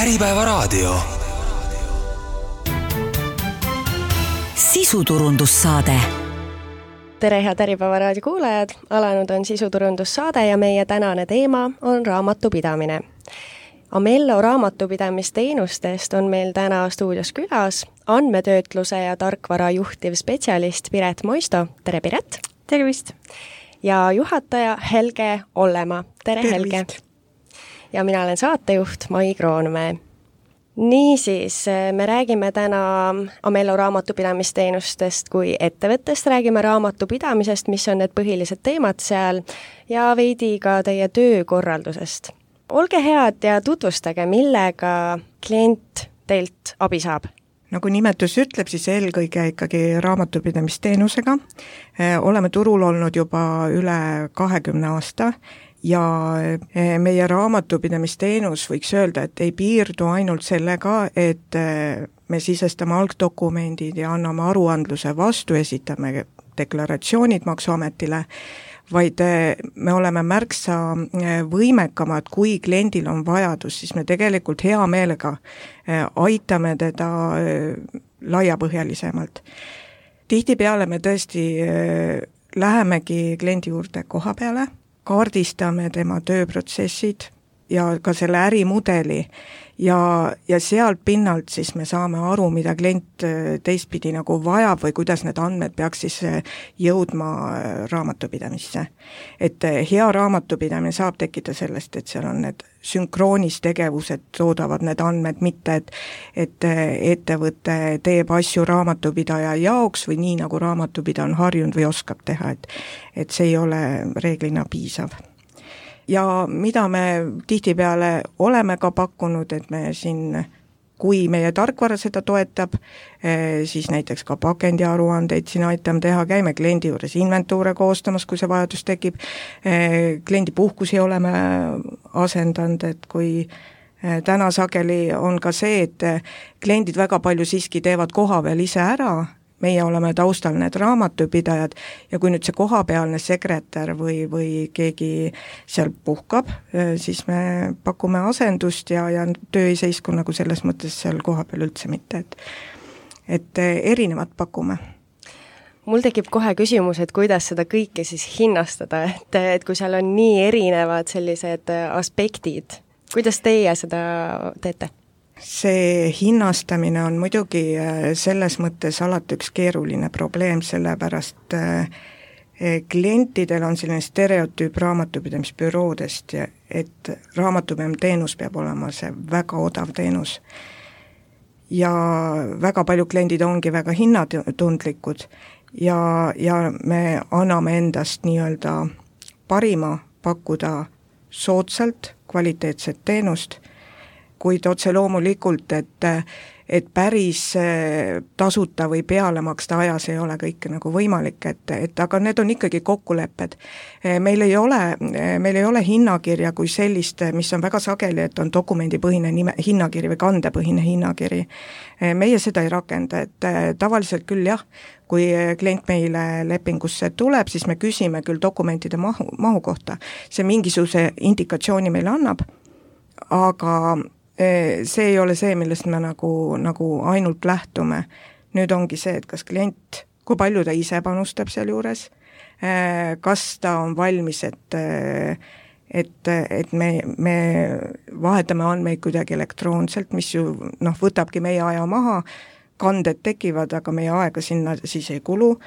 Äripäevaraadio. Sisuturundussaade. Tere head Äripäevaraadio kuulajad, alanud on sisuturundussaade ja meie tänane teema on raamatupidamine. Amello raamatupidamisteenustest on meil täna stuudios külas andmetöötluse ja tarkvara juhtiv spetsialist Piret Moisto. Tere Piret! Tervist! Ja juhataja Helge Ollemaa. Tere Helge! Ja mina olen saatejuht Mai Kroonmäe. Niisiis, me räägime täna Amello raamatupidamisteenustest kui ettevõttest, räägime raamatupidamisest, mis on need põhilised teemad seal ja veidi ka teie töökorraldusest. Olge head ja tutvustage, millega klient teilt abi saab. Nagu nimetus ütleb, siis eelkõige ikkagi raamatupidamisteenusega. Oleme turul olnud juba üle 20 aasta ja meie raamatupidamisteenus võiks öelda, et ei piirdu ainult sellega, et me sisestame algdokumendid ja anname aruandluse vastu, esitame deklaratsioonid Maksuametile, vaid me oleme märksa võimekamad, kui kliendil on vajadus, siis me tegelikult hea meelega aitame teda laiapõhjalisemalt. Tihtipeale me tõesti lähemegi kliendi juurde koha peale, kaardistame tema tööprotsessid ja ka selle ärimudeli ja sealt pinnalt siis me saame aru, mida klient teistpidi nagu vajab või kuidas need andmed peaks siis jõudma raamatupidamisse. Et hea raamatupidamine saab tekkida sellest, et seal on need sünkroonistegevused, toodavad need andmed, mitte et ettevõte teeb asju raamatupidaja jaoks või nii, nagu raamatupidaja on harjunud või oskab teha, et see ei ole reeglina piisav. Ja mida me tihtipeale oleme ka pakkunud, et me siin, kui meie tarkvara seda toetab, siis näiteks ka pakendiaruandeid siin aitame teha, käime kliendi juures inventuure koostamas, kui see vajadus tekib, kliendi puhkusi oleme asendanud, et kui täna sageli on ka see, et kliendid väga palju siiski teevad koha peal ise ära, meie oleme taustal need raamatupidajad ja kui nüüd see kohapealne sekretär või keegi seal puhkab, siis me pakume asendust ja töö ei seisku nagu selles mõttes seal kohapeal üldse mitte, et erinevat pakume. Mul tekib kohe küsimus, et kuidas seda kõike siis hinnastada, et kui seal on nii erinevad sellised aspektid, kuidas teie seda teete? See hinnastamine on muidugi selles mõttes alati üks keeruline probleem, sellepärast klientidel on selline stereotüüp raamatupidamisbüroodest, et raamatupidamisteenus peab olema see väga odav teenus. Ja väga palju kliendid ongi väga hinnatundlikud ja me anname endast nii-öelda parima pakkuda soodsalt kvaliteetset teenust, kuid otse loomulikult, et päris tasuta või peale maksta ajas ei ole kõike nagu võimalik, et aga need on ikkagi kokkulepped. Meil ei ole hinnakirja kui sellist, mis on väga sageli, et on dokumendipõhine hinnakiri või kandepõhine hinnakiri. Meie seda ei rakenda, et tavaliselt küll jah, kui klient meile lepingusse tuleb, siis me küsime küll dokumentide mahu kohta. See mingisuguse indikatsiooni meile annab, aga see ei ole see, millest me nagu ainult lähtume. Nüüd ongi see, et kas klient, kui palju ta ise panustab seal juures, kas ta on valmis, et me vahetame andmeid kuidagi elektroonselt, mis ju võtabki meie aja maha, kanded tekivad, aga meie aega sinna siis ei kulu,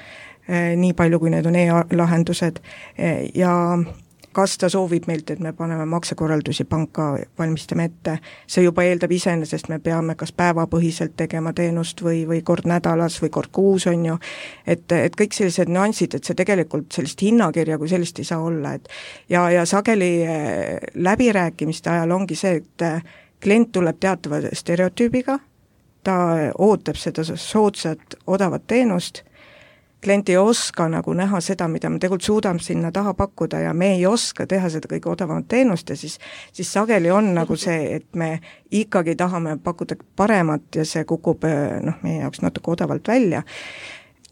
nii palju kui need on e-lahendused ja kas ta soovib meilt, et me paneme maksekorraldusi panka, valmistame ette, see juba eeldab iseenesest, me peame kas päevapõhiselt tegema teenust või kord nädalas või kord kuus on ju, et kõik sellised nüansid, et see tegelikult sellist hinnakirja kui sellist ei saa olla, ja sageli läbirääkimiste ajal ongi see, et klient tuleb teatava stereotüübiga, ta ootab seda soodsat odavat teenust, klient ei oska nagu näha seda, mida me tegelikult suudame sinna taha pakkuda ja me ei oska teha seda kõige odavamat teenust ja siis sageli on nagu see, et me ikkagi tahame pakkuda paremat ja see kukub meie jaoks natuke odavalt välja.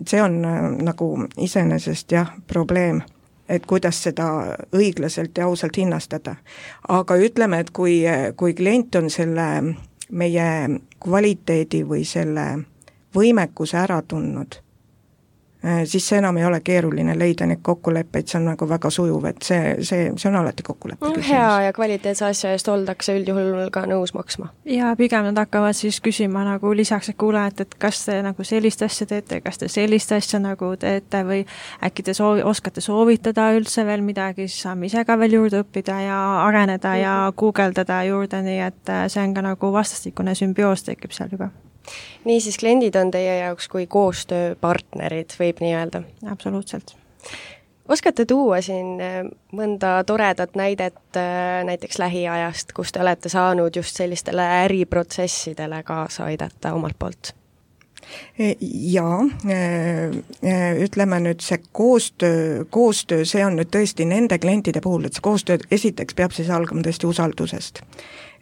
See on nagu iseenesest jah, probleem, et kuidas seda õiglaselt ja ausalt hinnastada. Aga ütleme, et kui klient on selle meie kvaliteedi või selle võimekuse ära tundnud, siis see enam ei ole keeruline leida neid kokkuleppeid, see on nagu väga sujuv, et see on alati kokkuleppe küsimus. Hea ja kvaliteetse asja eest oldakse üldjuhul ka nõus maksma. Ja pigem nad hakkavad siis küsima nagu lisaks, et kuule, et kas te nagu sellist asja teete, kas te sellist asja nagu teete või äkki te oskate soovitada üldse veel midagi, siis saame ise ka veel juurde õppida ja areneda ja guugeldada juurde, nii et see on ka nagu vastastikune sümbioos tekib seal juba. Niisiis, kliendid on teie jaoks kui koostööpartnerid, võib nii öelda? Absoluutselt. Oskate tuua siin mõnda toredat näidet näiteks lähiajast, kus te olete saanud just sellistele äriprotsessidele kaasa aidata omalt poolt? Jaa, ütleme nüüd see koostöö, see on nüüd tõesti nende klientide puhul, et see koostöö esiteks peab siis algama tõesti usaldusest.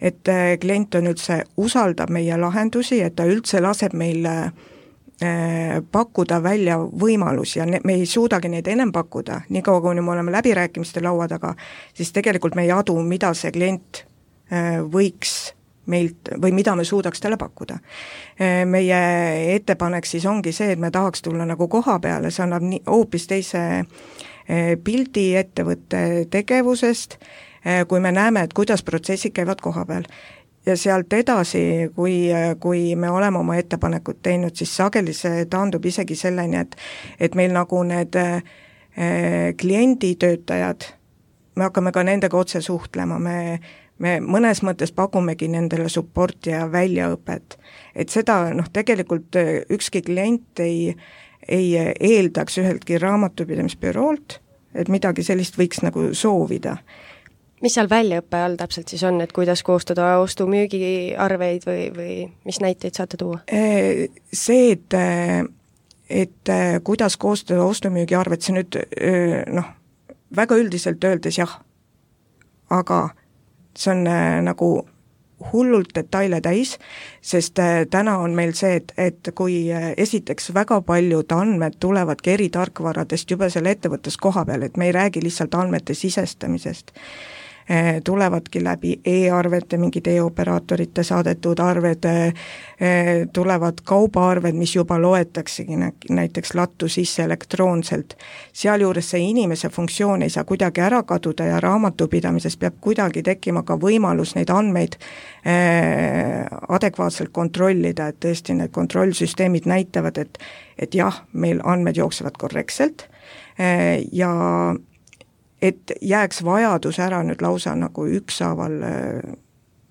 Et klient on üldse, usaldab meie lahendusi, et ta üldse laseb meil pakkuda välja võimalusi ja me ei suudagi neid ennem pakkuda, nii kaua kui me oleme läbirääkimiste laua taga, siis tegelikult me ei adu, mida see klient võiks meilt või mida me suudaks talle pakkuda. Meie ettepanek siis ongi see, et me tahaks tulla nagu koha peale, see annab hoopis teise pildi ettevõtte tegevusest, kui me näeme, et kuidas protsessid käivad koha peal. Ja sealt edasi, kui me oleme oma ettepanekud teinud, siis sageli see taandub isegi selleni, et meil nagu need klienditöötajad, me hakkame ka nendega otse suhtlema, me mõnes mõttes pakumegi nendele supporti ja väljaõpet. Et seda tegelikult ükski klient ei eeldaks üheltki raamatupidamisbüroolt, et midagi sellist võiks nagu soovida. Mis seal väljaõppe all täpselt siis on, et kuidas koostada ostu-müügiarveid või mis näiteid saate tuua? See, et kuidas koostada ostu-müügiarveid, see nüüd väga üldiselt öeldes jah, aga see on nagu hullult detaile täis, sest täna on meil see, et kui esiteks väga paljud andmed tulevadki eri tarkvaradest juba selle ettevõttes koha peal, et me ei räägi lihtsalt andmete sisestamisest, tulevadki läbi e-arvete, mingid e-operaatorite saadetud arved, tulevad kaubaarved, mis juba loetaksegi näiteks lattu sisse elektroonselt. Sealjuures see inimese funktsioon ei saa kuidagi ära kaduda ja raamatupidamises peab kuidagi tekkima ka võimalus neid andmeid adekvaatselt kontrollida, et tõesti need kontrollsüsteemid näitavad, et jah, meil andmed jooksevad korrektselt ja et jääks vajadus ära nüüd lausa nagu ükshaaval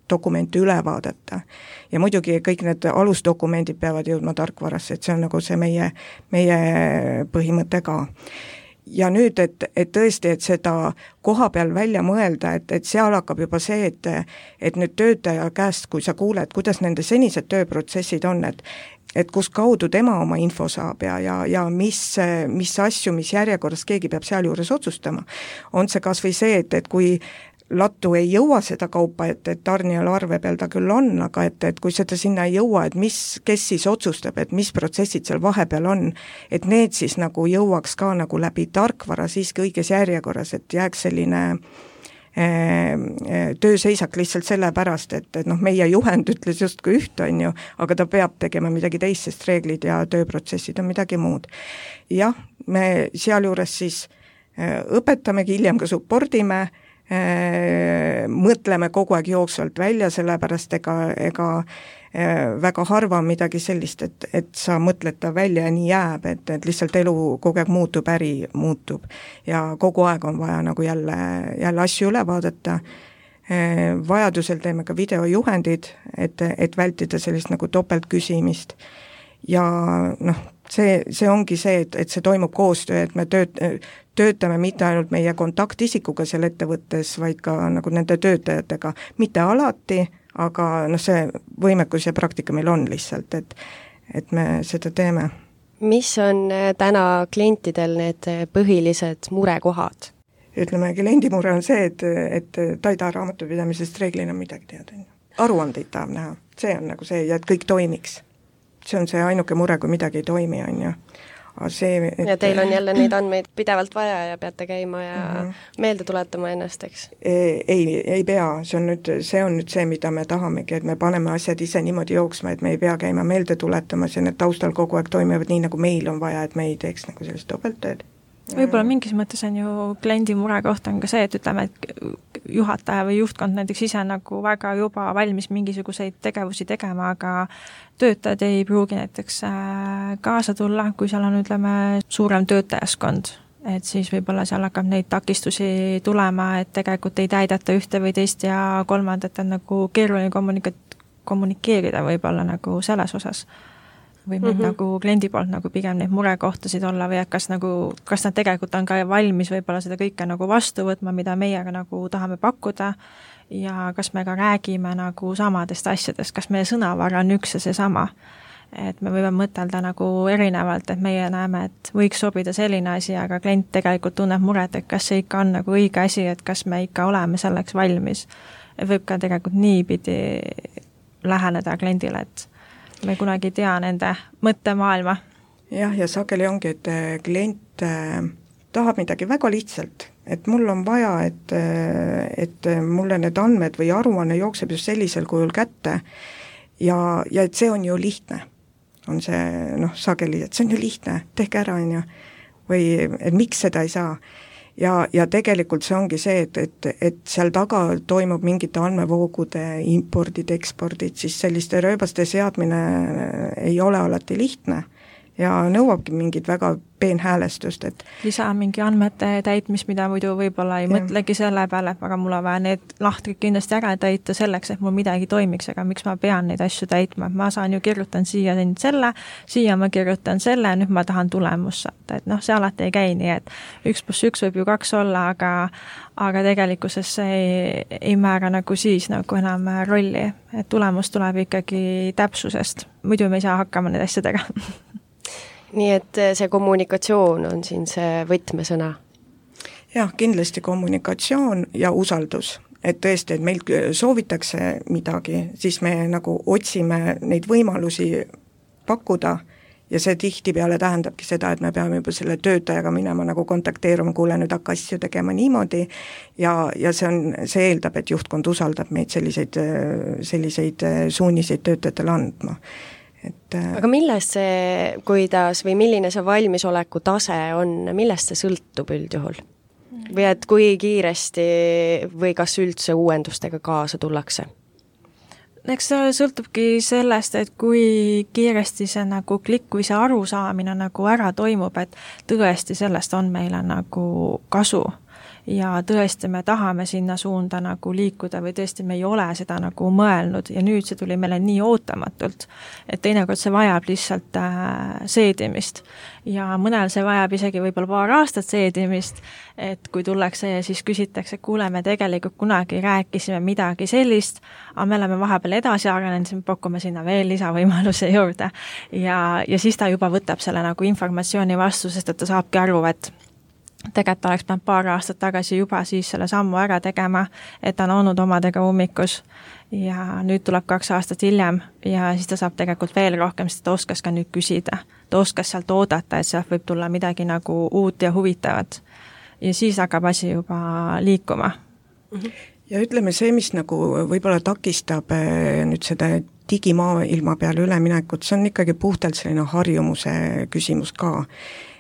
dokumente üle vaadata. Ja muidugi kõik need alusdokumendid peavad jõudma tarkvarasse, et see on nagu see meie põhimõte ka. Ja nüüd, et tõesti, et seda koha peal välja mõelda, et seal hakkab juba see, et nüüd töötaja käest, kui sa kuuled, kuidas nende senised tööprotsessid on, et kus kaudu tema oma info saab ja mis asju, mis järjekorras keegi peab sealjuures otsustama. On see kas või see, et kui lattu ei jõua seda kaupa, et tarnijal arve peal ta küll on, aga et kui seda sinna ei jõua, et kes siis otsustab, et mis protsessid seal vahepeal on, et need siis nagu jõuaks ka nagu läbi tarkvara siiski õiges järjekorras, et jääks selline tööseisak lihtsalt sellepärast, et meie juhend ütles justkui üht, on ju, aga ta peab tegema midagi teist, sest reeglid ja tööprotsessid on midagi muud. Jah, me sealjuures siis õpetamegi, hiljem ka supportime, mõtleme kogu aeg jooksvalt välja, sellepärast ega väga harva midagi sellist, et sa mõtled ta välja ja nii jääb, et lihtsalt elu kogu aeg muutub, äri muutub ja kogu aeg on vaja nagu jälle asju üle vaadata. Vajadusel teeme ka videojuhendid, et vältida sellist nagu topeltküsimist ja see ongi see, et see toimub koostöö, et me töötame mitte ainult meie kontaktisikuga seal ettevõttes, vaid ka nagu nende töötajatega, mitte alati, aga see võimekus ja praktika meil on lihtsalt, et me seda teeme. Mis on täna klientidel need põhilised murekohad? Ütleme, kliendi mure on see, et ta ei taha raamatupidamisest reeglina midagi teada. Aruandeid tahab näha, see on nagu see ja et kõik toimiks. See on see ainuke mure, kui midagi ei toimi, on ju. see, ja teil on jälle neid andmeid pidevalt vaja ja peate käima ja meelde tuletama ennast, eks? Ei pea, see on nüüd see, mida me tahamegi, et me paneme asjad ise niimoodi jooksma, et me ei pea käima meelde tuletamas ja need taustal kogu aeg toimivad nii, nagu meil on vaja, et me ei teeks nagu sellist topelttööd. Võib-olla mingis mõttes on ju kliendi mure koht on ka see, et ütleme, et juhataja või juhtkond näiteks ise nagu väga juba valmis mingisuguseid tegevusi tegema, aga töötajad ei pruugi näiteks kaasa tulla, kui seal on, ütleme, suurem töötajaskond, et siis võib-olla seal hakkab neid takistusi tulema, et tegelikult ei täidata ühte või teist ja kolmandat on nagu keeruline kommunikeerida võib-olla nagu selles osas. Võib need nagu kliendi poolt nagu pigem neid murekohtasid olla või kas nad tegelikult on ka valmis võib-olla seda kõike nagu vastu võtma, mida meiega nagu tahame pakkuda ja kas me ka räägime nagu samadest asjadest, kas meie sõnavara on üks ja seesama. Et me võime mõtelda nagu erinevalt, et meie näeme, et võiks sobida selline asi, aga klient tegelikult tunneb muret, et kas see ikka on nagu õige asi, et kas me ikka oleme selleks valmis. Võib ka tegelikult niipidi läheneda kliendile, et me kunagi ei tea nende mõttemaailma. Jah, ja sageli ongi, et klient tahab midagi väga lihtsalt, et mul on vaja, et mulle need andmed või aruanne jookseb just sellisel kujul kätte ja et see on ju lihtne. On see, sageli, et see on ju lihtne, tehke ära, on ju. Või et miks seda ei saa. Ja tegelikult see ongi see, et seal taga toimub mingite andmevoogude impordid, ekspordid, siis selliste rööbaste seadmine ei ole alati lihtne ja nõuabki mingit väga peenhäälestust, et lisa mingi andmete täitmist, mida muidu võib-olla ei mõtlegi selle peale, aga mul on vaja need lahtrid kindlasti ära täita selleks, et mul midagi toimiks, aga miks ma pean neid asju täitma, ma saan ju kirjutan siia siia ma kirjutan selle, nüüd ma tahan tulemust saada, et see alati ei käi nii, et 1+1 võib ju 2 olla, aga tegelikkuses see ei määra nagu siis nagu enam rolli, et tulemus tuleb ikkagi täpsusest, muidu me ei saa hakkama need asjadega. Nii et see kommunikatsioon on siin see võtmesõna? Jah, kindlasti kommunikatsioon ja usaldus. Et tõesti, et meil soovitakse midagi, siis me nagu otsime neid võimalusi pakkuda ja see tihtipeale tähendabki seda, et me peame juba selle töötajaga minema nagu kontakteeruma, kuule nüüd hakka asju tegema niimoodi ja see eeldab, et juhtkond usaldab meid selliseid suuniseid töötajatele andma. Aga millest see, kuidas või milline see valmisoleku tase on, millest see sõltub üldjuhul? Või et kui kiiresti või kas üldse uuendustega kaasa tullakse? Eks see sõltubki sellest, et kui kiiresti see nagu klikk või see arusaamine nagu ära toimub, et tõesti sellest on meile nagu kasu. Ja tõesti me tahame sinna suunda nagu liikuda või tõesti me ei ole seda nagu mõelnud ja nüüd see tuli meile nii ootamatult, et teinekord see vajab lihtsalt seedimist ja mõnel see vajab isegi võib-olla paar aastat seedimist, et kui tullakse ja siis küsitakse, kuule, me tegelikult kunagi rääkisime midagi sellist, aga me oleme vahepeal edasi arenenud, siis me pakume sinna veel lisavõimaluse juurde ja siis ta juba võtab selle nagu informatsiooni vastu, sest et ta saabki aru, et tegelikult oleks pidanud paar aastat tagasi juba siis selle sammu ära tegema, et ta on olnud omadega ummikus ja nüüd tuleb 2 aastat hiljem ja siis ta saab tegelikult veel rohkem, sest ta oskas ka nüüd küsida. Ta oskas sealt oodata, et sealt võib tulla midagi nagu uut ja huvitavat. Ja siis hakkab asi juba liikuma. Ja ütleme see, mis nagu võib-olla takistab nüüd seda digimaailma peale üleminekut, see on ikkagi puhtalt selline harjumuse küsimus ka.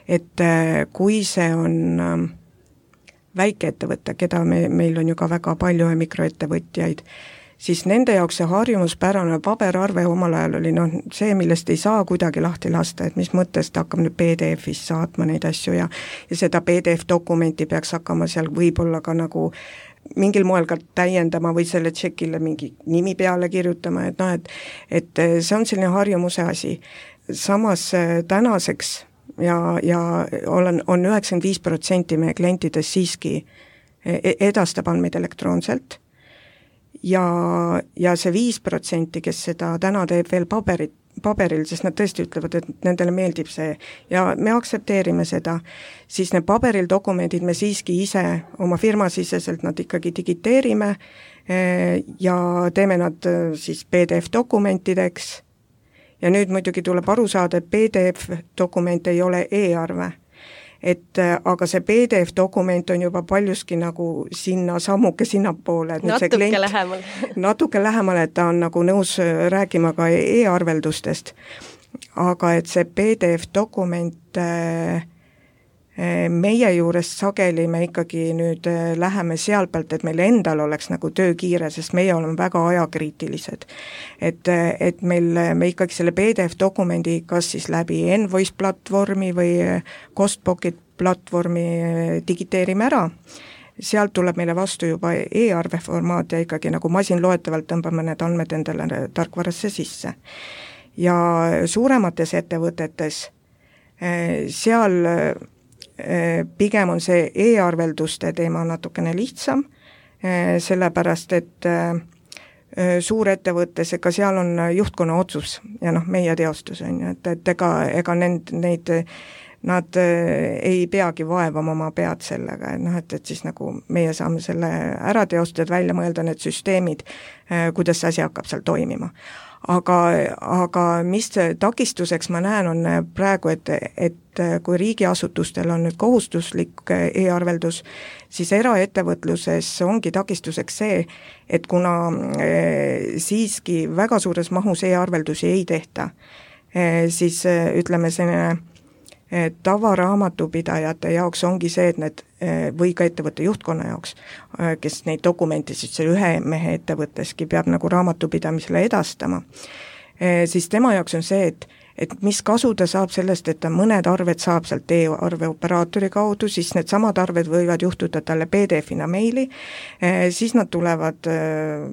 Et kui see on väikeettevõte, keda meil on ju ka väga palju mikroettevõtjaid, siis nende jaoks see harjumuspärane paberarve omal ajal oli see, millest ei saa kuidagi lahti lasta, et mis mõttes ta hakkab nüüd PDF-is saatma neid asju ja seda PDF-dokumenti peaks hakkama seal võib-olla ka nagu mingil moel ka täiendama või selle tšekile mingi nimi peale kirjutama, et see on selline harjumuse asi. Samas tänaseks ja on 95% meie klientidest siiski edastab andmeid elektroonselt ja see 5%, kes seda täna teeb veel paberil, sest nad tõesti ütlevad, et nendele meeldib see ja me aktsepteerime seda, siis need paberil dokumendid me siiski ise oma firmasiseselt nad ikkagi digiteerime ja teeme nad siis PDF-dokumentideks ja nüüd muidugi tuleb aru saada, et PDF-dokument ei ole e-arve. Aga see PDF-dokument on juba paljuski nagu sammuke sinnapoole. Natuke lähemal. Natuke lähemal, et ta on nagu nõus rääkima ka e-arveldustest. Aga et see PDF-dokument meie juurest sageli me ikkagi nüüd läheme seal pealt, et meil endal oleks nagu töö kiire, sest meie oleme väga ajakriitilised. Et me ikkagi selle PDF-dokumendi kas siis läbi Envoice platvormi või Costpocket platvormi digiteerime ära, sealt tuleb meile vastu juba e-arve formaat ja ikkagi nagu masinloetavalt tõmbame need andmed endale tarkvarasse sisse. Ja suuremates ettevõtetes seal pigem on see e-arvelduste teema natukene lihtsam, sellepärast et suurettevõttes, ega seal on juhtkonna otsus ja meie teostus on ju, et ega nad ei peagi vaevama oma pead sellega, et siis nagu meie saame selle ära teostada, välja mõelda need süsteemid, kuidas see asi hakkab seal toimima. Aga mis takistuseks ma näen, on praegu, et kui riigiasutustel on nüüd kohustuslik e-arveldus, siis eraettevõtluses ongi takistuseks see, et kuna siiski väga suures mahus e-arveldusi ei tehta, siis ütleme selline tavaraamatupidajate jaoks ongi see, et need või ka ettevõtte juhtkonna jaoks, kes neid dokumente siis selle ühe mehe ettevõtteski peab nagu raamatupidamisele edastama, siis tema jaoks on see, et mis kasu ta saab sellest, et ta mõned arved saab sealt e-arveoperaatori kaudu, siis need samad arved võivad juhtuda talle PDF-ina meili, siis nad tulevad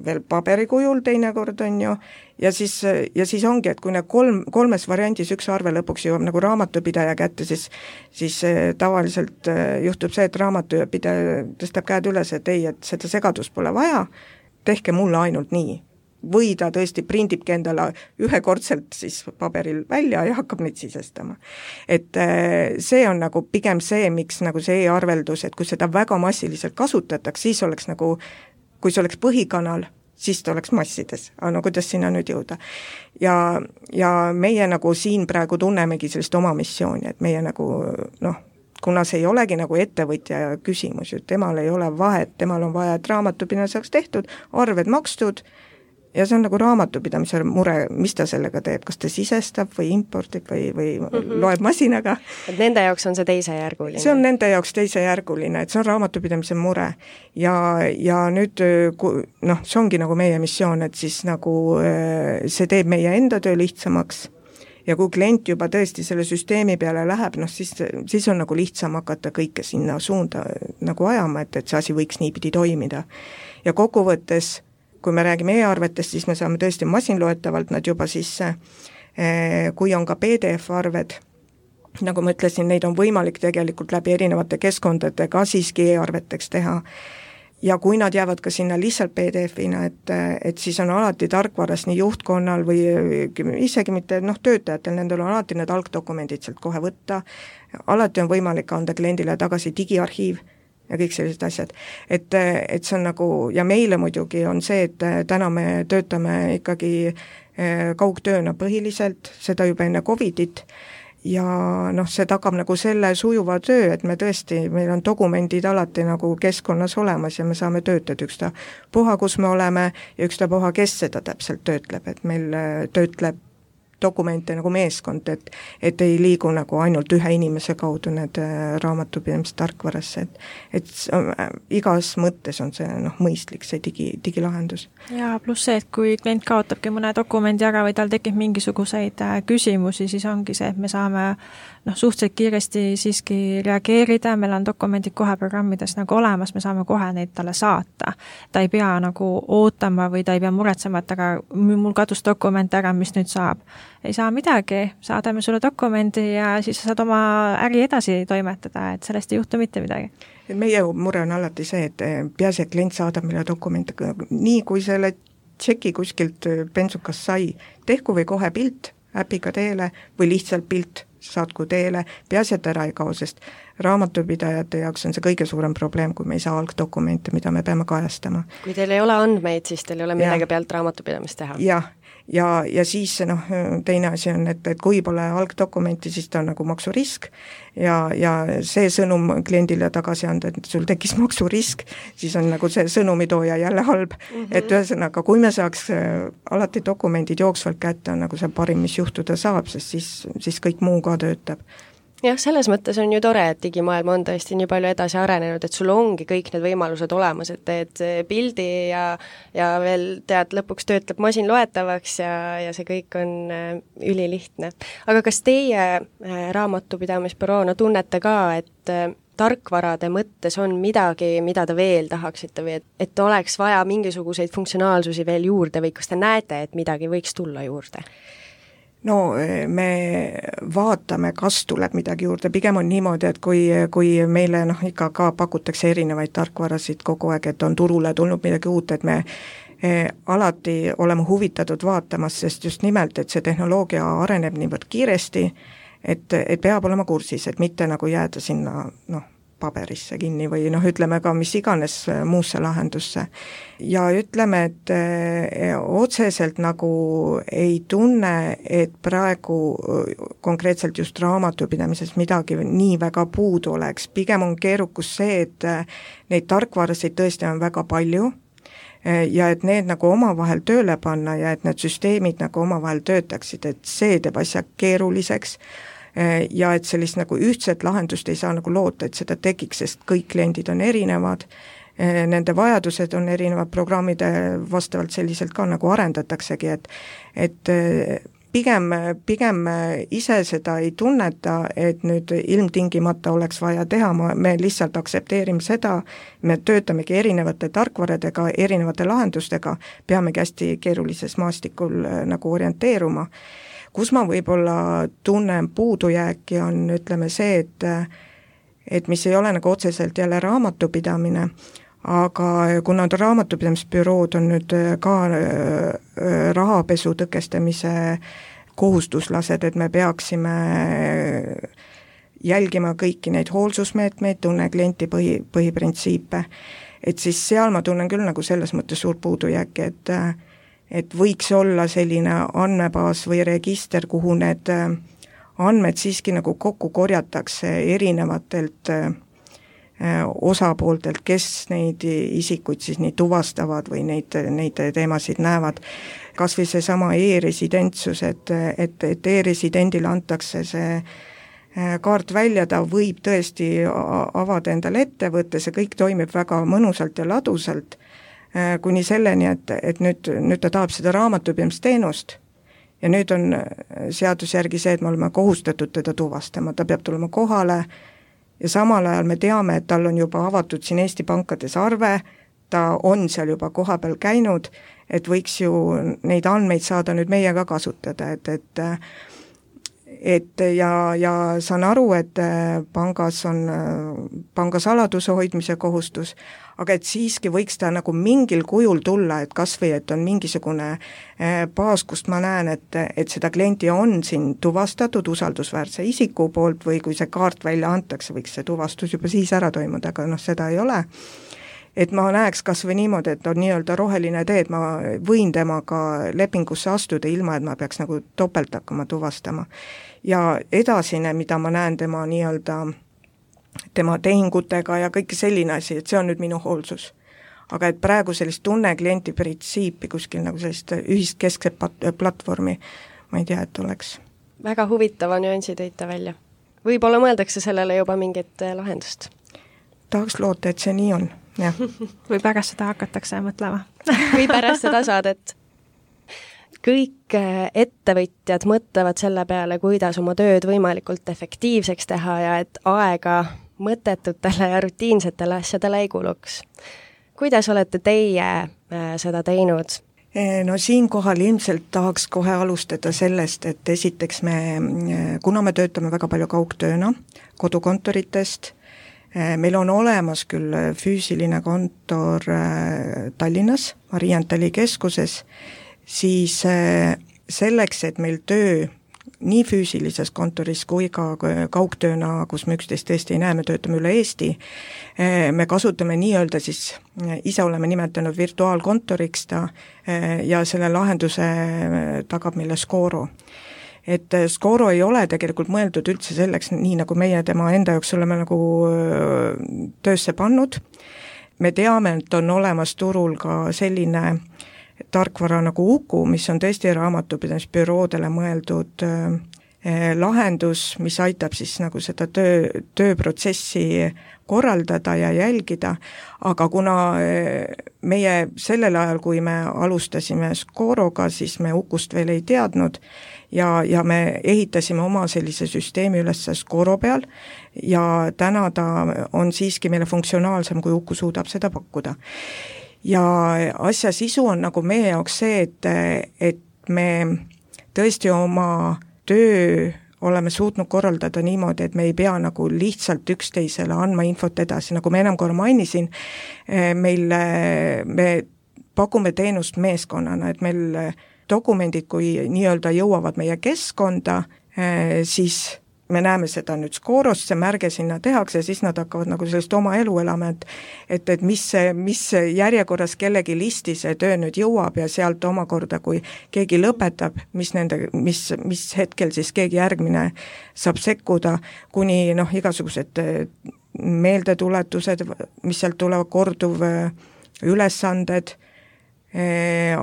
veel paberikujul teinekord, on ju, ja siis ongi, et kui need kolmes variandis üks arve lõpuks jõuab nagu raamatupidaja kätte, siis tavaliselt juhtub see, et raamatupidaja tõstab käed üles, et ei, et seda segadust pole vaja, tehke mulle ainult nii. Või ta tõesti prindibki endale ühekordselt siis paberil välja ja hakkab neid sisestama. Et see on nagu pigem see, miks nagu see e-arveldus, et kui seda väga massiliselt kasutatakse, siis oleks nagu, kui see oleks põhikanal, siis ta oleks massides, aga no kuidas sinna nüüd jõuda. Ja meie nagu siin praegu tunnemegi sellist oma missiooni, et meie nagu kuna see ei olegi nagu ettevõtja küsimus, temal ei ole vahet, temal on vaja, et raamatupidamine saaks tehtud, arved makstud, ja see on nagu raamatupidamise mure, mis ta sellega teeb, kas ta sisestab või impordib või loeb masinaga. Et nende jaoks on see teisejärguline? See on nende jaoks teisejärguline, et see on raamatupidamise mure. Ja nüüd, see ongi nagu meie missioon, et siis nagu see teeb meie enda töö lihtsamaks ja kui klient juba tõesti selle süsteemi peale läheb, siis on nagu lihtsam hakata kõike sinna suunda nagu ajama, et see asi võiks niipidi toimida. Ja kokkuvõttes kui me räägime e-arvetest, siis me saame tõesti masinloetavalt nad juba sisse, kui on ka PDF-arved, nagu ma ütlesin, neid on võimalik tegelikult läbi erinevate keskkondade ka siiski e-arveteks teha, ja kui nad jäävad ka sinna lihtsalt PDF-ina, et siis on alati tarkvaras nii juhtkonnal või isegi mitte töötajatel, nendel on alati need algdokumendid sealt kohe võtta, alati on võimalik anda kliendile tagasi digiarhiiv, ja kõik sellised asjad. Et see on nagu, ja meile muidugi on see, et täna me töötame ikkagi kaugtööna põhiliselt, seda juba enne Covidit, ja see tagab nagu selle sujuva töö, et me tõesti, meil on dokumendid alati nagu keskkonnas olemas ja me saame töötada ükstapuha, kus me oleme ja ükstapuha, kes seda täpselt töötleb, et meil töötleb dokumente nagu meeskond, et ei liigu nagu ainult ühe inimese kaudu need raamatupidamise tarkvarasse, et igas mõttes on see mõistlik, see digilahendus. Ja pluss see, et kui klient kaotabki mõne dokumendi ära või tal tekib mingisuguseid küsimusi, siis ongi see, et me saame suhteliselt kiiresti siiski reageerida, meil on dokumendid kohe programmides nagu olemas, me saame kohe neid talle saata. Ta ei pea nagu ootama või ta ei pea muretsema, et aga mul kadus dokument ära, mis nüüd saab. Ei saa midagi, saadame sulle dokumendi ja siis saad oma äri edasi toimetada, et sellest ei juhtu mitte midagi. Meie mure on alati see, et peaasi, et klient saadab meile dokumente, nii kui selle tšeki kuskilt bensukas sai, tehku või kohe pilt äpiga teele või lihtsalt pilt saatku teele, peaasi, et ära ei kao, sest raamatupidajate jaoks on see kõige suurem probleem, kui me ei saa algdokumente, mida me peame kajastama. Kui teil ei ole andmeid, siis teil ei ole millega pealt raamatupidamist teha. Jah, ja siis teine asi on, et kui pole algdokumenti, siis ta on nagu maksurisk ja see sõnum kliendile tagasi anda, et sul tekkis maksurisk, siis on nagu see sõnumitooja jälle halb, et ühesõnaga, kui me saaks alati dokumendid jooksvalt kätte, on nagu see parim, mis juhtuda saab, sest siis kõik muu ka töötab. Jah, selles mõttes on ju tore, et digimaailm on tõesti nii palju edasi arenenud, et sul ongi kõik need võimalused olemas, et teed pildi ja veel tead, lõpuks töötleb masin loetavaks ja see kõik on ülilihtne. Aga kas teie raamatupidamisbüroona tunnete ka, et tarkvarade mõttes on midagi, mida te veel tahaksite või et oleks vaja mingisuguseid funktsionaalsusi veel juurde või kas te näete, et midagi võiks tulla juurde? No me vaatame, kas tuleb midagi juurde, pigem on niimoodi, et kui meile ikka ka pakutakse erinevaid tarkvarasid kogu aeg, et on turule tulnud midagi uut, et me alati oleme huvitatud vaatamas, sest just nimelt, et see tehnoloogia areneb niivõrd kiiresti, et peab olema kursis, et mitte nagu jääda sinna paberisse kinni või ütleme ka mis iganes muusse lahendusse. Ja ütleme, et otseselt nagu ei tunne, et praegu konkreetselt just raamatupidamises midagi nii väga puudu oleks, pigem on keerukus see, et neid tarkvarasid tõesti on väga palju ja et need nagu omavahel tööle panna ja et need süsteemid nagu omavahel töötaksid, et see teeb asja keeruliseks ja et sellist nagu ühtset lahendust ei saa nagu loota, et seda tekiks, sest kõik kliendid on erinevad, nende vajadused on erinevad, programmide vastavalt selliselt ka nagu arendataksegi, et pigem ise seda ei tunneta, et nüüd ilmtingimata oleks vaja teha, me lihtsalt aktsepteerime seda, me töötamegi erinevate tarkvaradega, erinevate lahendustega, peamegi hästi keerulises maastikul nagu orienteeruma. Kus ma võib-olla tunnen puudujääki on, ütleme see, et mis ei ole nagu otseselt jälle raamatupidamine, aga kuna raamatupidamisbürood on nüüd ka rahapesu tõkestamise kohustuslased, et me peaksime jälgima kõiki neid hoolsusmeetmeid, tunne klienti põhiprintsiipe, et siis seal ma tunnen küll nagu selles mõttes suur puudujääki, et võiks olla selline andmebaas või register, kuhu need andmed siiski nagu kokku korjatakse erinevatelt osapooltelt, kes neid isikuid siis nii tuvastavad või neid teemasid näevad. Kas või see sama e-residentsus, et e-residendile antakse see kaart välja, ta võib tõesti avada endale ettevõtte, see kõik toimib väga mõnusalt ja ladusalt, kuni selleni, et nüüd ta tahab seda raamatupidamisteenust ja nüüd on seadus järgi see, et me oleme kohustatud teda tuvastama, ta peab tulema kohale ja samal ajal me teame, et tal on juba avatud siin Eesti pankades arve, ta on seal juba kohapeal käinud, et võiks ju neid andmeid saada nüüd meie ka kasutada, ja saan aru, et pangas on pangasaladuse hoidmise kohustus, aga et siiski võiks ta nagu mingil kujul tulla, et kas või, et on mingisugune baas, kust ma näen, et seda klienti on siin tuvastatud usaldusväärse isiku poolt või kui see kaart välja antakse, võiks see tuvastus juba siis ära toimuda, aga seda ei ole. Et ma näeks kas või niimoodi, et on nii-öelda roheline tee, et ma võin temaga lepingusse astuda ilma, et ma peaks nagu topelt hakkama tuvastama. Ja edasine, mida ma näen tema nii-öelda tema tehingutega ja kõik selline asi, et see on nüüd minu hoolsus. Aga et praegu sellist tunne klienti printsiipi kuskil nagu sellist ühist keskset platvormi, ma ei tea, et oleks. Väga huvitava nüansi tõite välja. Võib-olla mõeldakse sellele juba mingit lahendust? Tahaks loota, et see nii on. Ja. Või pärast seda hakatakse mõtlema. Või pärast seda saadet. Kõik ettevõtjad mõtlevad selle peale, kuidas oma tööd võimalikult efektiivseks teha ja et aega mõttetutele ja rutiinsetele asjadele ei kuluks. Kuidas olete teie seda teinud? No siinkohal ilmselt tahaks kohe alustada sellest, et esiteks kuna me töötame väga palju kaugtööna kodukontoritest, meil on olemas küll füüsiline kontor Tallinnas, Mariantali keskuses, siis selleks, et meil töö nii füüsilises kontoris kui ka kaugtööna, kus me üksteist tõesti ei näe, me töötame üle Eesti, me kasutame nii-öelda siis, ise oleme nimetanud virtuaalkontoriks ta ja selle lahenduse tagab meile Scoro. Et Scoro ei ole tegelikult mõeldud üldse selleks, nii nagu meie tema enda jaoks oleme nagu töösse pannud. Me teame, et on olemas turul ka selline tarkvara nagu Uku, mis on tõesti raamatupidamisbüroodele mõeldud lahendus, mis aitab siis nagu seda tööprotsessi korraldada ja jälgida, aga kuna meie sellel ajal, kui me alustasime Scoroga, siis me Ukust veel ei teadnud ja me ehitasime oma sellise süsteemi üles Scoro peal ja täna ta on siiski meile funktsionaalsem, kui Uku suudab seda pakkuda. Ja asja sisu on nagu meie jaoks see, et me tõesti oma töö oleme suutnud korraldada niimoodi, et me ei pea nagu lihtsalt üksteisele andma infot edasi, nagu ma enam korra mainisin, me pakume teenust meeskonnana, et meil dokumendid, kui nii-öelda jõuavad meie keskkonda, siis me näeme seda nüüd Scorost, see märge sinna tehakse ja siis nad hakkavad nagu sellist oma elu elama, et mis järjekorras kellegi listi see töö nüüd jõuab ja sealt omakorda, kui keegi lõpetab, mis hetkel siis keegi järgmine saab sekkuda, kuni igasugused meeldetuletused, mis sealt tulevad, korduv ülesanded,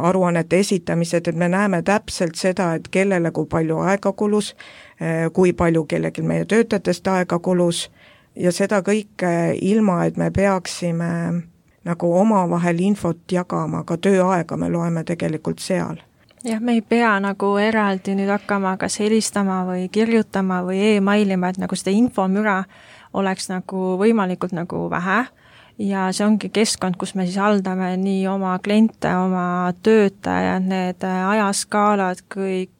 aruannete esitamised, et me näeme täpselt seda, et kellele kui palju aega kulus, kui palju kellelgi meie töötajatest aega kulus ja seda kõike ilma, et me peaksime nagu omavahel infot jagama, ka tööaega me loeme tegelikult seal. Jah, me ei pea nagu eraldi nüüd hakkama kas helistama või kirjutama või e-mailima, et nagu seda infomüra oleks nagu võimalikult nagu vähe ja see ongi keskkond, kus me siis haldame nii oma kliente, oma töötajad, need ajaskaalad, kõik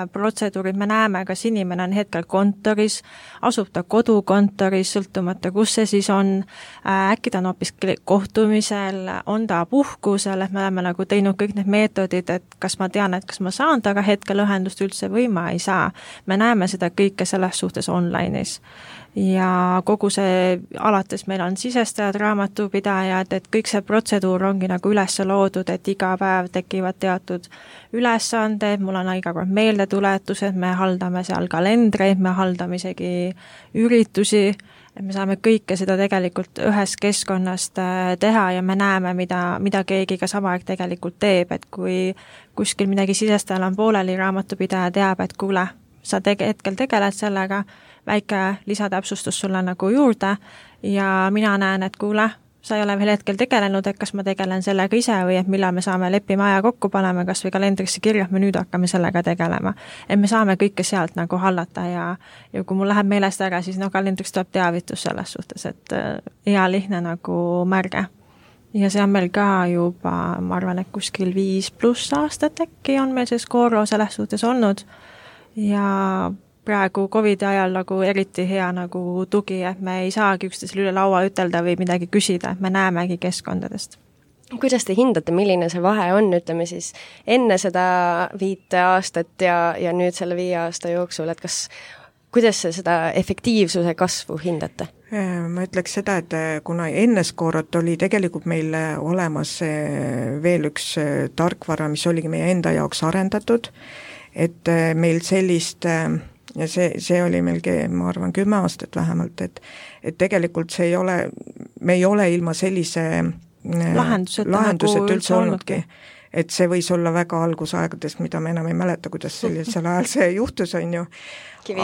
protseduurid, me näeme, kas inimene on hetkel kontoris, asub ta kodukontoris, sõltumata kus see siis on, äkki ta on hoopis kohtumisel, on ta puhkusel, et me oleme nagu teinud kõik need meetodid, et kas ma tean, et kas ma saan taga hetkel ühendust üldse või ma ei saa. Me näeme seda kõike selles suhtes online'is. Ja kogu see, alates meil on sisestajad, raamatupidajad, et kõik see protseduur ongi nagu üles loodud, et iga päev tekivad teatud ülesanded, mul on iga kord meeldetuletused, me haldame seal kalendreid, me haldame isegi üritusi, et me saame kõike seda tegelikult ühest keskkonnast teha ja me näeme, mida keegi ka sama aeg tegelikult teeb, et kui kuskil midagi sisestajal on pooleli, raamatupidaja teab, et kuule, sa hetkel tegeled sellega, väike lisatäpsustus sulle nagu juurde ja mina näen, et kuule, sa ei ole veel hetkel tegelenud, et kas ma tegelen sellega ise või et millal me saame lepime aja kokku panema, kas või kalendrisse kirja, et me nüüd hakkame sellega tegelema. Et me saame kõike sealt nagu hallata ja kui mul läheb meelest ära, siis kalendriks tuleb teavitus selles suhtes, et hea lihtne nagu märge. Ja see on meil ka juba, ma arvan, et kuskil 5+ aastat äkki on meil see Scoro selles suhtes olnud ja praegu COVID ajal nagu eriti hea nagu tugi, et me ei saagi üksteisele üle laua ütelda või midagi küsida, et me näemegi keskkondadest. Kuidas te hindate, milline see vahe on, ütleme siis enne seda 5 aastat ja nüüd selle 5 aasta jooksul, et kuidas seda efektiivsuse kasvu hindate? Ma ütleks seda, et kuna enne Scorot oli tegelikult meil olemas veel üks tarkvara, mis oligi meie enda jaoks arendatud, et meil sellist ja see oli meil, ma arvan, 10 aastat vähemalt, et tegelikult see ei ole, me ei ole ilma sellise lahendused üldse olnudki. Et see võis olla väga algusaegadest, mida me enam ei mäleta, kuidas sellisel ajal see juhtus, on ju.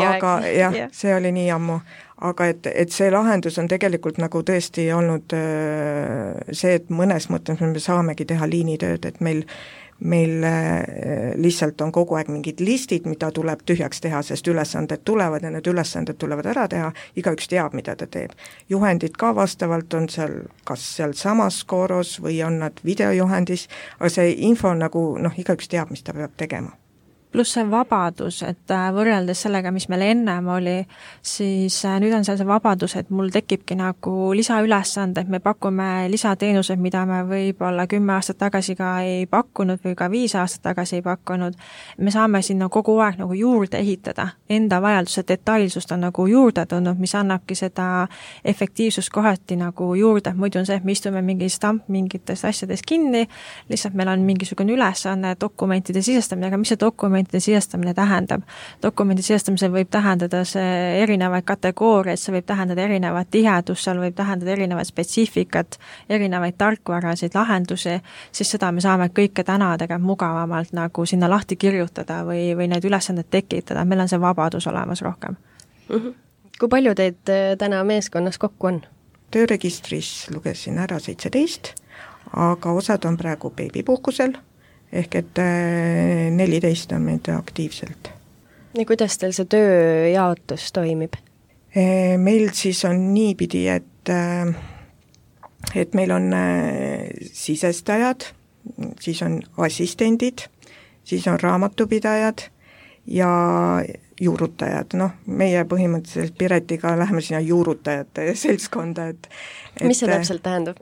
Aga jah, see oli nii ammu. Aga et see lahendus on tegelikult nagu tõesti olnud see, et mõnes mõttes me saamegi teha liinitööd, et meil lihtsalt on kogu aeg mingid listid, mida tuleb tühjaks teha, sest ülesanded tulevad ja need ülesanded tulevad ära teha, igaüks teab, mida ta teeb. Juhendid ka vastavalt on seal, kas seal samas Scoros või on nad videojuhendis, aga see info on nagu, igaüks teab, mis ta peab tegema. pluss see vabadus, et võrreldes sellega, mis meil ennem oli, siis nüüd on seal see vabadus, et mul tekibki nagu lisaülesanded, me pakume lisateenused, mida me võib-olla 10 aastat tagasi ka ei pakkunud või ka 5 aastat tagasi ei pakkunud. Me saame sinna kogu aeg nagu juurde ehitada, enda vajaduse detailsust on nagu juurde tulnud, mis annabki seda efektiivsust kohati nagu juurde, muidu on see, et me istume mingi stamp mingites asjades kinni, lihtsalt meil on mingisugune ülesanne dokumentide sisestamine, aga mis see dokumentide sisestamine tähendab? Dokumendi sisestamisel võib tähendada see erinevaid kategooriaid, see võib tähendada erinevat tihedust, seal võib tähendada erinevat spetsiifikat, erinevaid tarkvarasid, lahendusi, siis seda me saame kõike täna tegelikult mugavamalt nagu sinna lahti kirjutada või need ülesanded tekitada, meil on see vabadus olemas rohkem. Kui palju teid täna meeskonnas kokku on? Tööregistris lugesin ära 17, aga osad on praegu beebipuhkusel, ehk et 14 on meid aktiivselt. Ja kuidas teil see tööjaotus toimib? Meil siis on niipidi, et meil on sisestajad, siis on assistendid, siis on raamatupidajad ja juurutajad, meie põhimõtteliselt Piretiga läheme sinna juurutajate seltskonda, mis see täpselt tähendab?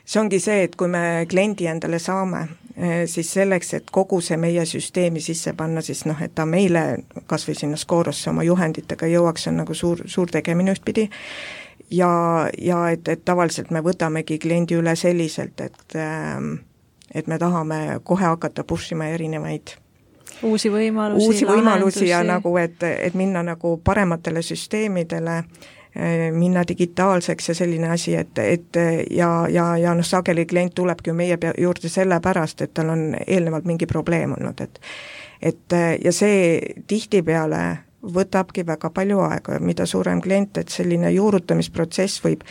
See ongi see, et kui me kliendi endale saame, siis selleks, et kogu see meie süsteemi sisse panna, siis et ta meile kas või sinna Scorosse oma juhenditega jõuaks, on nagu suur tegemine ühtpidi ja et tavaliselt me võtamegi kliendi üle selliselt, et me tahame kohe hakata push ima erinevaid uusi võimalusi ja nagu, et minna nagu parematele süsteemidele, minna digitaalseks ja selline asi, et sageli klient tulebki meie juurde sellepärast, et tal on eelnevalt mingi probleem olnud, et ja see tihtipeale võtabki väga palju aega, mida suurem klient, et selline juurutamisprotsess võib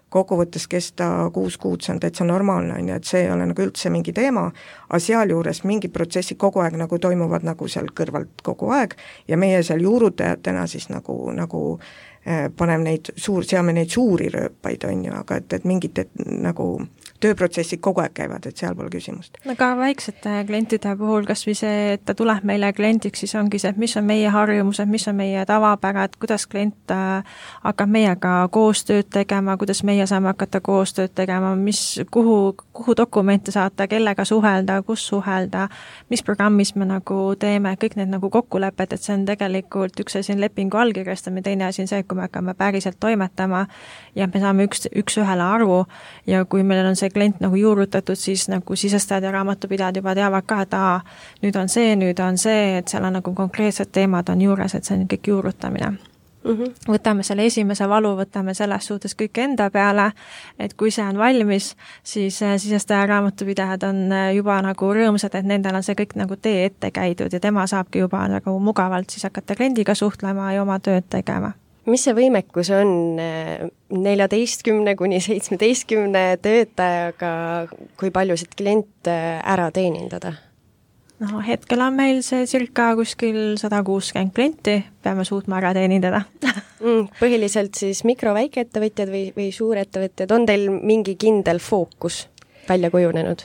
kokkuvõttes kesta 6 kuud, see on täitsa normaalne, et see ei ole nagu üldse mingi teema, aga sealjuures mingi protsessi kogu aeg nagu toimuvad nagu seal kõrvalt kogu aeg ja meie seal juurutajatena siis nagu seame neid suuri rööpaid, on ju, aga et mingid nagu tööprotsessid kogu aeg käivad, et seal pole küsimust. Aga väiksete klientide puhul, kas või see, et ta tuleb meile kliendiks, siis ongi see, et mis on meie harjumused, mis on meie tavapärad, kuidas klient hakkab meiega koostööd tegema, kuidas meie saame hakata koostööd tegema, kuhu dokumente saata, kellega suhelda, kus suhelda, mis programmis me nagu teeme, kõik need nagu kokkulepped, et see on tegelikult üks asi on lepingu allkirjastamine, teine asi on see, kui me hakkame päriselt toimetama ja me saame üks ühele aru ja kui meil on see klient nagu juurutatud, siis nagu sisestajad ja raamatupidajad juba teavad ka, et nüüd on see, et seal on nagu konkreetsed teemad on juures, et see on kõik juurutamine. Võtame selle esimese valu, võtame selles suhtes kõik enda peale, et kui see on valmis, siis sisestaja raamatupidajad on juba nagu rõõmsad, et nendel on see kõik nagu tee ette käidud ja tema saabki juba nagu mugavalt siis hakata kliendiga suhtlema ja oma tööd tegema. Mis see võimekus on 14 kuni 17 töötajaga, kui paljusid kliente ära teenindada? No hetkel on meil see circa kuskil 160 klienti, peame suutma ära teenindada. Põhiliselt siis mikro-väikeettevõtjad või suurettevõtjad, on teil mingi kindel fookus välja kujunenud?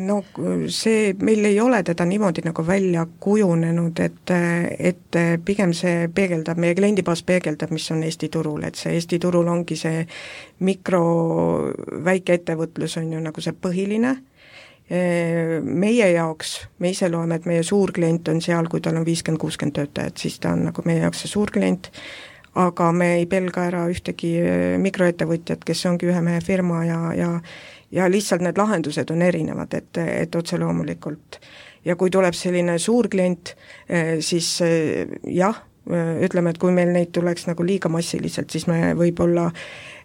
No see, meil ei ole teda niimoodi nagu välja kujunenud, et pigem see peegeldab, meie kliendibaas peegeldab, mis on Eesti turul, et see Eesti turul ongi see väikeettevõtlus on ju nagu see põhiline. Meie jaoks, me ise loeme, et meie suurklient on seal, kui tal on 50-60 töötajat, siis ta on nagu meie jaoks see suurklient, aga me ei pelga ära ühtegi mikroettevõtjat, kes ongi ühe mehe firma ja lihtsalt need lahendused on erinevad, et otse loomulikult. Ja kui tuleb selline suurklient, siis jah, ütleme, et kui meil neid tuleks nagu liiga massiliselt, siis me võib-olla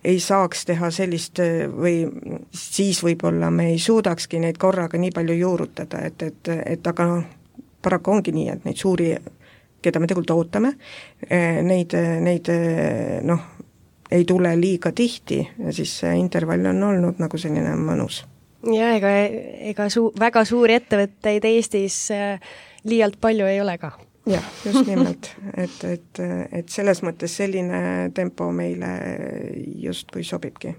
ei saaks teha sellist või siis võib-olla me ei suudakski neid korraga nii palju juurutada, et aga paraku ongi nii, et neid suuri, keda me tegelikult ootame, neid ei tule liiga tihti ja siis see intervall on olnud nagu selline mõnus. Ja ega väga suuri ettevõtteid Eestis liialt palju ei ole ka. Jah, just nimelt, et selles mõttes selline tempo meile justkui sobibki.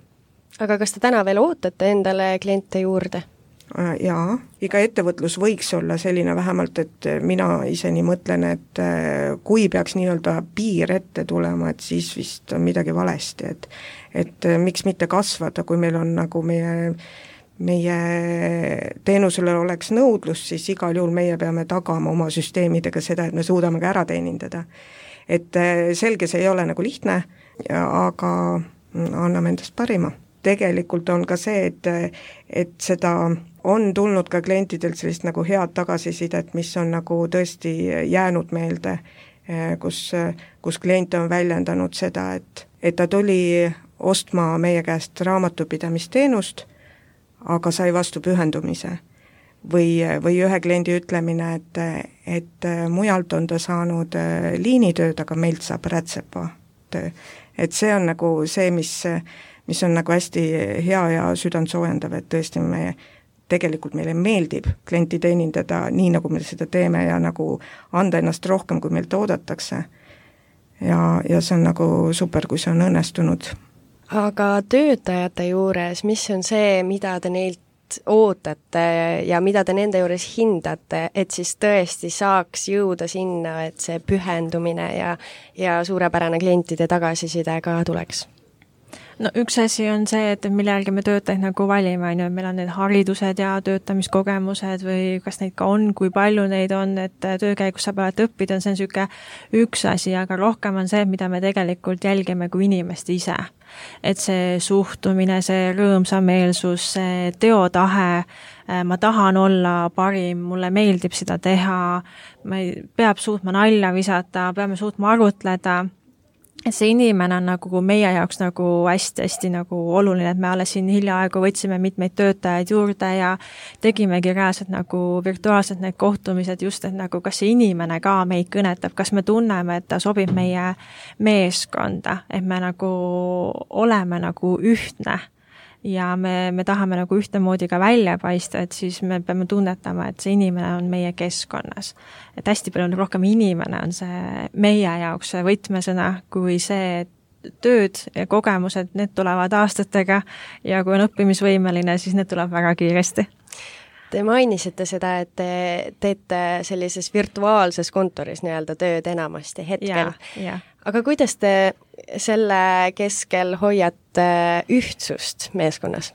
Aga kas te täna veel ootate endale kliente juurde? Jaa, iga ettevõtlus võiks olla selline vähemalt, et mina ise nii mõtlen, et kui peaks nii-öelda piir ette tulema, et siis vist on midagi valesti, et miks mitte kasvada, kui meil on nagu meie teenusele oleks nõudlus, siis igal juhul meie peame tagama oma süsteemidega seda, et me suudame ka ära teenindada. Et selge, see ei ole nagu lihtne, aga anname endast parima. Tegelikult on ka see, et seda on tulnud ka klientidelt sellist nagu head tagasisidet, mis on nagu tõesti jäänud meelde, kus klient on väljendanud seda, et ta tuli ostma meie käest raamatupidamisteenust, aga sai vastu pühendumise. Või ühe kliendi ütlemine, et mujalt on ta saanud liinitööd, aga meilt saab rätsepa töö. Et see on nagu see, mis on nagu hästi hea ja südant soojendav, et tõesti tegelikult meile meeldib klienti teenindada nii, nagu me seda teeme ja nagu anda ennast rohkem, kui meilt oodatakse. Ja see on nagu super, kui see on õnnestunud. Aga töötajate juures, mis on see, mida te neilt ootate ja mida te nende juures hindate, et siis tõesti saaks jõuda sinna, et see pühendumine ja suurepärane klientide tagasiside ka tuleks? No üks asi on see, et mille järgi me töötajaid nagu valime, on ju, meil on need haridused ja töötamiskogemused või kas neid ka on, kui palju neid on, et töö käigus saab alati õppida, see on niisugune üks asi, aga rohkem on see, mida me tegelikult jälgime kui inimest ise. Et see suhtumine, see rõõmsameelsus, see teotahe, ma tahan olla parim, mulle meeldib seda teha, peab suutma nalja visata, peame suutma arutleda, et see inimene on nagu meie jaoks nagu hästi-hästi nagu oluline, et me alles siin hiljaaegu võtsime mitmeid töötajaid juurde ja tegimegi reaalselt nagu virtuaalselt need kohtumised just, et nagu kas see inimene ka meid kõnetab, kas me tunneme, et ta sobib meie meeskonda, et me nagu oleme nagu ühtne ja me tahame nagu ühtemoodi ka välja paista, et siis me peame tunnetama, et see inimene on meie keskkonnas. Et hästi palju rohkem inimene on see meie jaoks see võtmesõna, kui see tööd ja kogemused, need tulevad aastatega ja kui on õppimisvõimeline, siis need tuleb väga kiiresti. Te mainisite seda, et te teete sellises virtuaalses kontoris nii-öelda tööd enamasti hetkel. Ja. Aga kuidas te selle keskel hoiate ühtsust meeskonnas?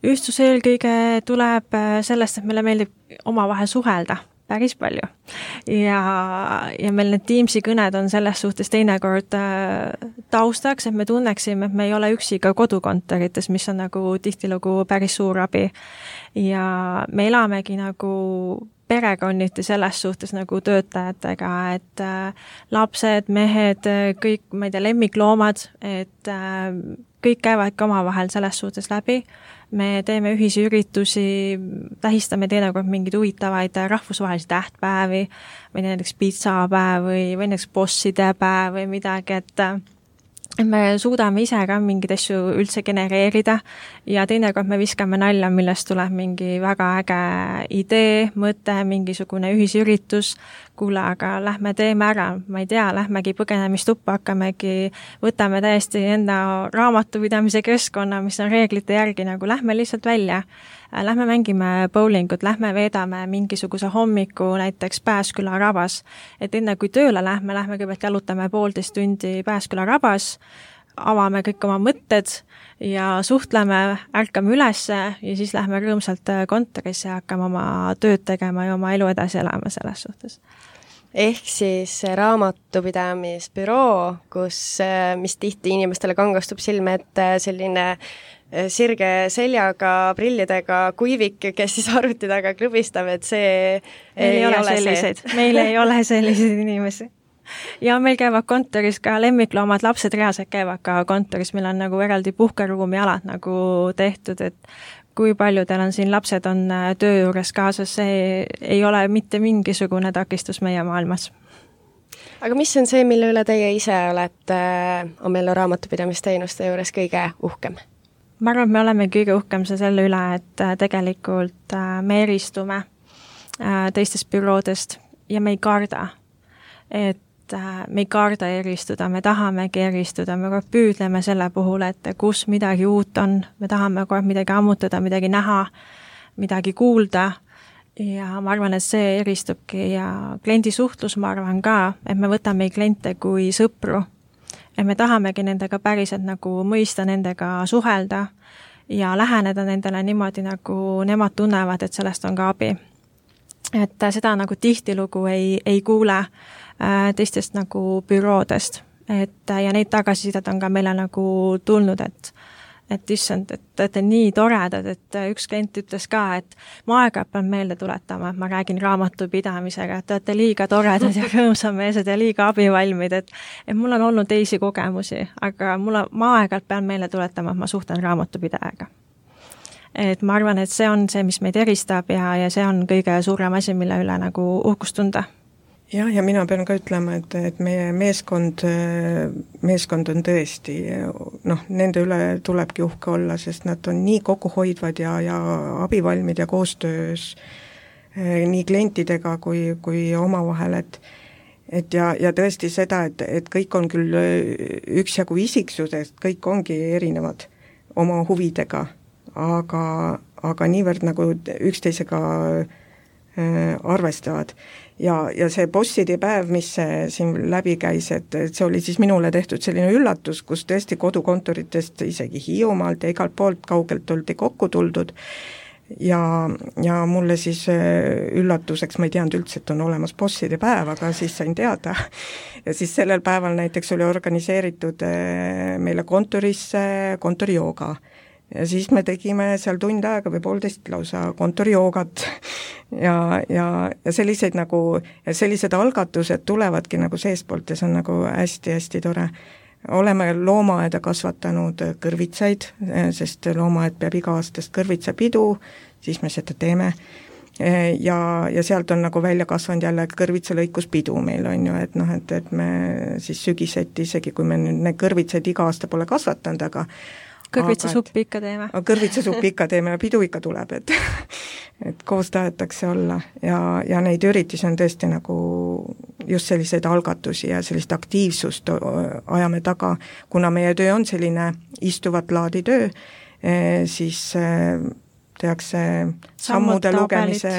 Ühtsus eelkõige tuleb sellest, et meile meeldib omavahel suhelda päris palju. Ja meil need Teamsi kõned on selles suhtes teinekord taustaks, et me tunneksime, et me ei ole üksi ka kodukontorites, mis on nagu tihtilugu päris suur abi. Ja me elamegi nagu perekonniti selles suhtes nagu töötajatega, et lapsed, mehed, kõik, ma ei tea, lemmikloomad, et kõik käivad ka omavahel selles suhtes läbi. Me teeme ühisi üritusi, tähistame teinekord mingeid huvitavaid rahvusvahelisi tähtpäevi, või näiteks pitsapäev või näiteks bosside päev või midagi, et me suudame ise ka mingeid asju üldse genereerida ja teinekord me viskame nalja, millest tuleb mingi väga äge idee, mõte, mingisugune ühisüritus, kuule, aga lähme teeme ära, ma ei tea, lähmegi põgenemistuppa, hakkamegi, võtame täiesti enda raamatupidamise keskkonna, mis on reeglite järgi, nagu lähme lihtsalt välja. Lähme mängime bowlingut, lähme veedame mingisuguse hommiku näiteks Pääsküla rabas, et enne kui tööle lähme kõigepealt jalutame 1,5 tundi Pääsküla rabas, avame kõik oma mõtted ja suhtleme, ärkame ülesse ja siis lähme rõõmsalt kontorisse ja hakkame oma tööd tegema ja oma elu edasi elama selles suhtes. Ehk siis raamatupidamisbüroo, mis tihti inimestele kangastub silme, et selline sirge seljaga, prillidega kuivik, kes siis arvuti taga klõbistab, et see ei ole selliseid. Meil ei ole selliseid inimesi. Ja meil käivad kontoris ka lemmikloomad, lapsed reaalselt käivad ka kontoris, meil on nagu eraldi puhkeruumi alad nagu tehtud, et kui paljudel on siin lapsed on töö juures kaasas, see ei ole mitte mingisugune takistus meie maailmas. Aga mis on see, mille üle teie ise olete Amello raamatupidamisteenuste juures kõige uhkem? Ma arvan, et me oleme kõige uhkem selle üle, et tegelikult me eristume teistest büroodest ja me ei karda. Et me ei karda eristuda, me tahamegi eristuda, me kogu püüdleme selle puhul, et kus midagi uut on, me tahame kogu midagi ammutada, midagi näha, midagi kuulda ja ma arvan, et see eristubki ja kliendi suhtlus, ma arvan ka, et me võtame kliente kui sõpru, et me tahamegi nendega päriselt nagu mõista, nendega suhelda ja läheneda nendele niimoodi, nagu nemad tunnevad, et sellest on ka abi. Et seda nagu tihtilugu ei kuule teistest nagu büroodest, ja neid tagasisidet on ka meile nagu tulnud, et issand, et te olete nii toredad, et üks klient ütles ka, et ma aeg-ajalt pean meelde tuletama, et ma räägin raamatupidamisega, et te olete liiga toredad ja rõõmsameelsed ja liiga abivalmid, et mul on olnud teisi kogemusi, aga ma aeg-ajalt pean meelde tuletama, et ma suhtlen raamatupidajaga. Et ma arvan, et see on see, mis meid eristab ja see on kõige suurem asi, mille üle nagu uhkust tunda. Jah, ja mina pean ka ütlema, et meie meeskond on tõesti, nende üle tulebki uhke olla, sest nad on nii kokkuhoidvad ja abivalmid ja koostöös nii klientidega kui omavahel, et tõesti seda, et kõik on küll üksjagu isiksusest, kõik ongi erinevad oma huvidega, aga niivõrd nagu üksteisega arvestavad. Ja see bosside päev, mis siin läbi käis, et see oli siis minule tehtud selline üllatus, kus tõesti kodukontoritest isegi Hiiumaalt ja igalt poolt kaugelt oldi kokku tuldud ja mulle siis üllatuseks, ma ei teadnud üldse, et on olemas bosside päev, aga siis sain teada ja siis sellel päeval näiteks oli organiseeritud meile kontorisse kontorijooga. Ja siis me tegime seal tund aega või 1,5 lausa kontorijoogat ja selliseid nagu, ja sellised algatused tulevadki nagu seespoolt ja see on nagu hästi-hästi tore. Oleme loomaaeda kasvatanud kõrvitsaid, sest loomaaed peab iga-aastast kõrvitsapidu, siis me seda teeme. Ja sealt on nagu välja kasvanud jälle kõrvitsalõikuspidu meil on ju, et me siis sügiseti, isegi kui me need kõrvitsaid iga aasta pole kasvatanud, aga kõrvitsasuppi ikka teeme. Kõrvitsasuppi ikka teeme ja pidu ikka tuleb, et koos tahetakse olla ja neid üritusi on tõesti nagu just selliseid algatusi ja sellist aktiivsust ajame taga, kuna meie töö on selline istuvat laadi töö, siis tehakse sammude lugemise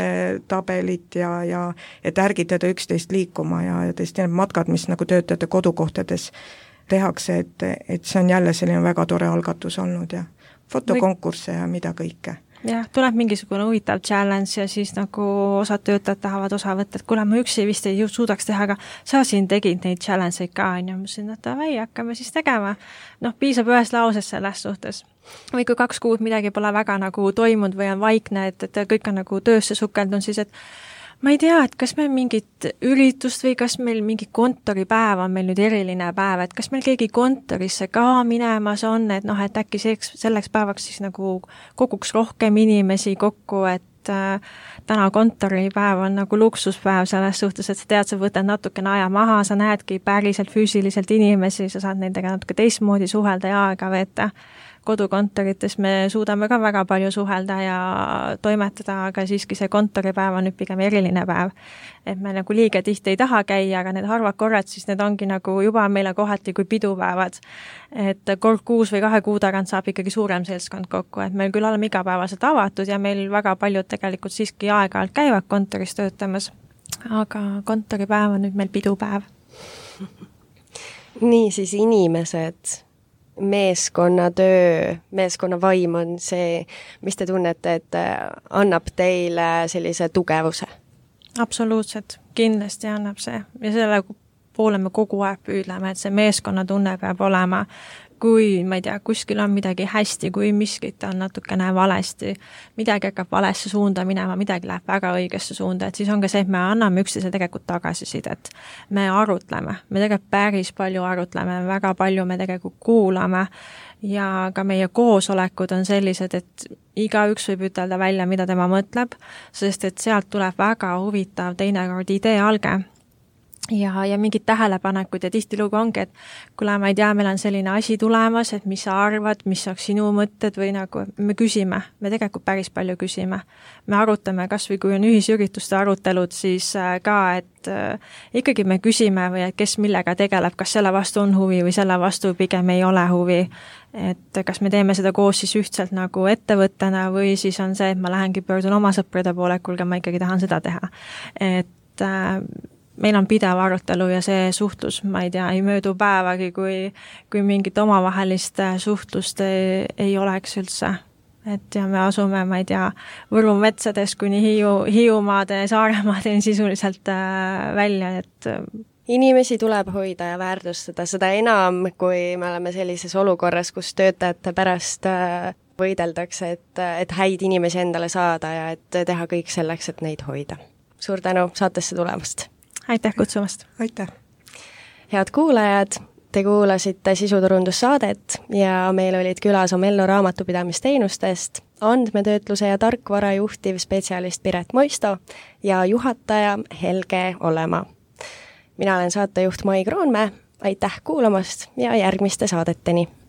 tabelit ja et ärgitada üksteist liikuma ja tõesti need matkad, mis nagu töötajate kodukohtades tehakse, et see on jälle selline väga tore algatus olnud ja fotokonkursse ja mida kõike. Jah, tuleb mingisugune huvitav challenge ja siis nagu osad töötajad tahavad osa võtta, et kuule, ma üksi vist ei suudaks teha, aga sa siin tegid neid challenge'id ka, on ju, ma ütlesin, et davai, hakkame siis tegema. Piisab ühes lauses selles suhtes. Või kui 2 kuud midagi pole väga nagu toimunud või on vaikne, et kõik on nagu töösse sukeldunud, siis et ma ei tea, et kas meil mingit üritust või kas meil mingi kontoripäev on meil nüüd eriline päev, et kas meil keegi kontorisse ka minemas on, et et äkki selleks päevaks siis nagu koguks rohkem inimesi kokku, et täna kontoripäev on nagu luksuspäev selles suhtes, et sa tead, sa võtad natukene aja maha, sa näedki päriselt füüsiliselt inimesi, sa saad nendega natuke teistmoodi suhelda ja aega veeta. Kodukontorites me suudame ka väga palju suhelda ja toimetada, aga siiski see kontoripäev on nüüd pigem eriline päev. Et me nagu liiga tihti ei taha käia, aga need harvad korrad, siis need ongi nagu juba meile kohati kui pidupäevad. Et kord 6 või 2 kuu tagant saab ikkagi suurem seltskond kokku, et meil küll oleme igapäevaselt avatud ja meil väga paljud tegelikult siiski aeg-ajalt käivad kontoris töötamas, aga kontoripäev on nüüd meil pidupäev. Nii siis inimesed, meeskonnatöö, meeskonnavaim on see, mis te tunnete, et annab teile sellise tugevuse? Absoluutselt, kindlasti annab see. Ja selle poole me kogu aeg püüdleme, et see meeskonnatunne peab olema, kui, ma ei tea, kuskil on midagi hästi, kui miskit on natukene valesti, midagi hakkab valesse suunda minema, midagi läheb väga õigesse suunda, et siis on ka see, et me anname üksteise tegelikult tagasisidet. Me arutleme, me tegelikult päris palju arutleme, väga palju me tegelikult kuulame ja ka meie koosolekud on sellised, et igaüks võib ütelda välja, mida tema mõtleb, sest et sealt tuleb väga huvitav teinekord ideealge. ja mingid tähelepanekud ja tihtilugu ongi, et kuule, ma ei tea, meil on selline asi tulemas, et mis sa arvad, mis oleks sinu mõtted või nagu me küsime, me tegelikult päris palju küsime. Me arutame, kas või kui on ühisürituste arutelud, siis ka, et ikkagi me küsime või et kes millega tegeleb, kas selle vastu on huvi või selle vastu pigem ei ole huvi. Et kas me teeme seda koos siis ühtselt nagu ettevõttena või siis on see, et ma lähengi pöördun oma sõprade poole, kuulge, ma ikkagi tahan seda teha. Et meil on pidev arutelu ja see suhtlus, ma ei tea, ei möödu päevagi, kui mingit omavahelist suhtlust ei oleks üldse. Et ja me asume, ma ei tea, Võru metsades kuni Hiiumaade, Saaremaadeni sisuliselt välja, et inimesi tuleb hoida ja väärtustada, seda enam, kui me oleme sellises olukorras, kus töötajate pärast võideldakse, et häid inimesi endale saada ja et teha kõik selleks, et neid hoida. Suur tänu saatesse tulemast! Aitäh kutsumast! Aitäh! Head kuulajad, te kuulasite sisuturundussaadet ja meil olid külas Omello raamatupidamisteenustest andmetöötluse ja tarkvara juhtiv spetsialist Piret Moisto ja juhataja Helge Olemaa. Mina olen saatejuht Mai Kroonmäe, aitäh kuulamast ja järgmiste saadeteni!